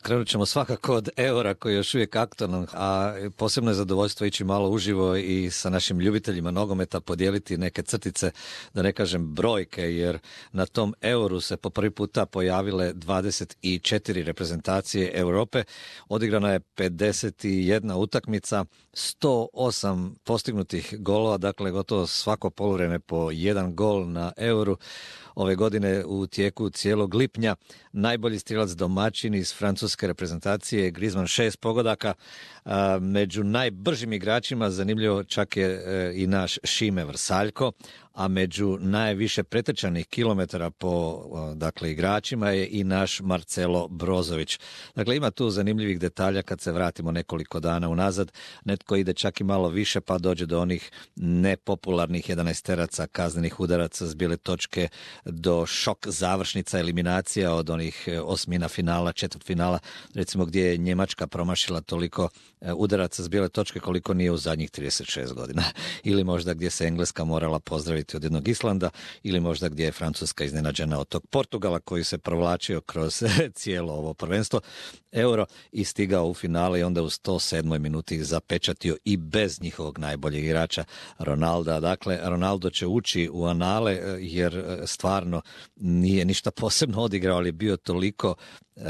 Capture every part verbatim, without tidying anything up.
krenut ćemo svakako od eura koji je još uvijek aktualan, a posebno je zadovoljstvo ići malo uživo i sa našim ljubiteljima nogometa podijeliti neke crtice, da ne kažem brojke, jer na tom euru se po prvi puta pojavile dvadeset četiri reprezentacije Europe, odigrana je pedeset jedna utakmica, sto osam postignutih golova, dakle gotovo svako poluvreme po jedan gol na euru. Ove godine u tijeku cijelog lipnja najbolji strijelac domaćin iz francuske reprezentacije Griezmann šest pogodaka. Među najbržim igračima zanimljivo čak je i naš Šime Vrsaljko, a među najviše pretrčanih kilometara po dakle igračima je i naš Marcelo Brozović. Dakle, ima tu zanimljivih detalja kad se vratimo nekoliko dana unazad. Netko ide čak i malo više pa dođe do onih nepopularnih jedanaesteraca kaznenih udaraca s bijele točke, do šok završnica, eliminacija od onih osmina finala, četvrt finala, recimo gdje je Njemačka promašila toliko udaraca s bijele točke koliko nije u zadnjih trideset šest godina. Ili možda gdje se Engleska morala pozdraviti od jednog Islanda, ili možda gdje je Francuska iznenađena od tog Portugala koji se provlačio kroz cijelo ovo prvenstvo Euro i stigao u finale i onda u sto sedmoj minuti zapečatio i bez njihovog najboljeg igrača Ronalda. Dakle, Ronaldo će ući u anale jer stvarno nije ništa posebno odigrao, ali je bio toliko uh,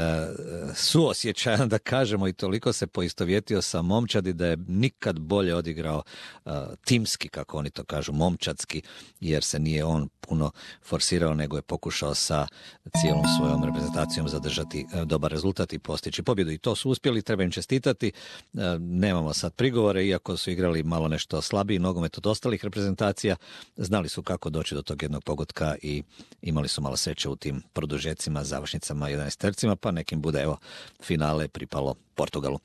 suosjećajan, da kažemo, i toliko se poistovjetio sa momčadi da je nikad bolje odigrao uh, timski, kako oni to kažu, momčadski, jer se nije on puno forsirao, nego je pokušao sa cijelom svojom reprezentacijom zadržati uh, dobar rezultat i postići pobjedu. I to su uspjeli, treba im čestitati. Uh, nemamo sad prigovore, iako su igrali malo nešto slabiji nogomet od ostalih reprezentacija, znali su kako doći do tog jednog pogotka i imali su malo sreće u tim produžecima, završnicama, jedanaestercima, pa nekim bude, evo, finale pripalo Portugalu.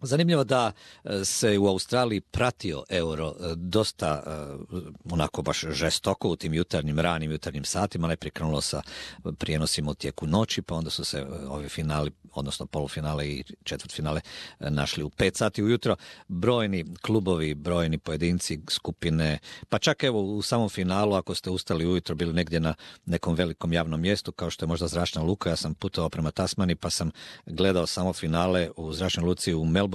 Zanimljivo da se u Australiji pratio Euro dosta onako baš žestoko u tim jutarnjim, ranim jutarnjim satima. Najprije krenulo sa prijenosima u tijeku noći, pa onda su se ovi finali, odnosno polufinale i četvrtfinale našli u pet sati ujutro. Brojni klubovi, brojni pojedinci, skupine, pa čak evo u samom finalu, ako ste ustali ujutro, bili negdje na nekom velikom javnom mjestu, kao što je možda Zračna luka, ja sam putovao prema Tasmani, pa sam gledao samo finale u Zračnoj luci u Melbourneu.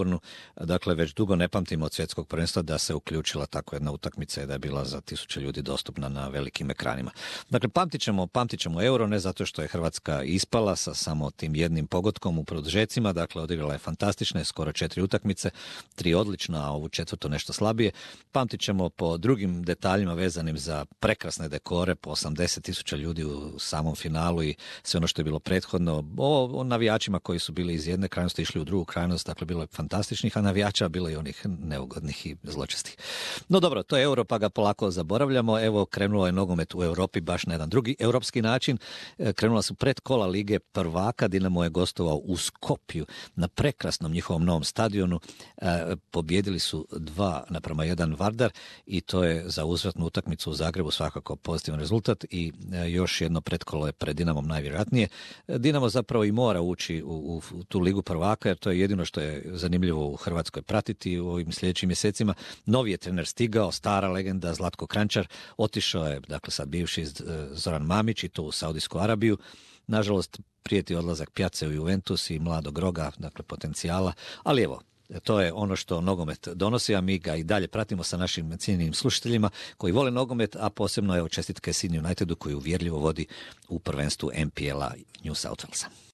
Dakle, već dugo ne pamtimo od svjetskog prvenstva da se uključila tako jedna utakmica i da je bila za tisuće ljudi dostupna na velikim ekranima. Dakle, pamtit ćemo, pamtit ćemo Euro, ne zato što je Hrvatska ispala sa samo tim jednim pogodkom u produžecima, dakle, odigrala je fantastične, skoro četiri utakmice, tri odlična, a ovu četvrtu nešto slabije. Pamtit ćemo po drugim detaljima vezanim za prekrasne dekore, po osamdeset tisuća ljudi u samom finalu i sve ono što je bilo prethodno. O, o navijačima koji su bili iz jedne krajnosti išli u drugu krajnost, dakle, bilo je fantastičnih, a navijača bilo i onih neugodnih i zločestih. No dobro, to je Euro, pa ga polako zaboravljamo. Evo, krenulo je nogomet u Europi baš na jedan drugi europski način. Krenula su predkola Lige prvaka, Dinamo je gostovao u Skopju na prekrasnom njihovom novom stadionu. E, pobjedili su dva naprema jedan Vardar i to je za uzvratnu utakmicu u Zagrebu svakako pozitivan rezultat i e, još jedno predkolo je pred Dinamom najvjerojatnije. Dinamo zapravo i mora ući u, u, u tu Ligu prvaka, jer to je jedino što je zanimljivo u Hrvatskoj pratiti u ovim sljedećim mjesecima. Novi je trener stigao, stara legenda Zlatko Kranjčar, otišao je, dakle sad bivši Zoran Mamić i to u Saudijsku Arabiju. Nažalost, prijeti odlazak Pjace u Juventus i mladog Roga, dakle potencijala, ali evo, to je ono što nogomet donosi, a mi ga i dalje pratimo sa našim cijenjenim slušateljima koji vole nogomet, a posebno je čestitke Sydney Unitedu koji uvjerljivo vodi u prvenstvu N P L-a New South Walesa.